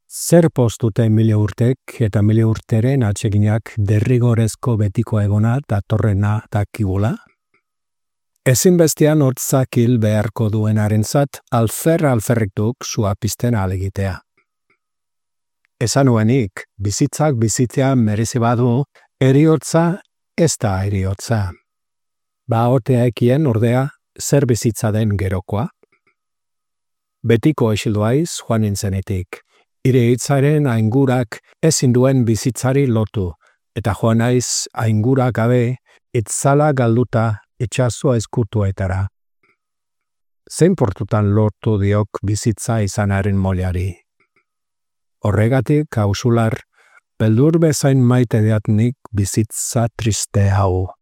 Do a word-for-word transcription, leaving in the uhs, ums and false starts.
Zer postute mila urtek eta mila urteren atseginak derrigorezko betiko egona datorrena dakigula? Ezinbestean hortzak hil beharko duenarentzat alfer alferriktuk sua pizten alegitea. Esan nuenik, bizitzak bizitzea merezi badu, heriotza ez da heriotza. Ba otea ekien ordea zer bizitza den gerokoa? Betiko esildoaiz joan nintzenetik. Ire hitzaren aingurak ezin duen bizitzari lotu, eta joan naiz aingura gabe itzala galduta itxasua eskutuetara. Zein portutan lortu diok bizitza izanaren molari. Horregatik, hausular, beldur bezain maite deatnik bizitza triste hau.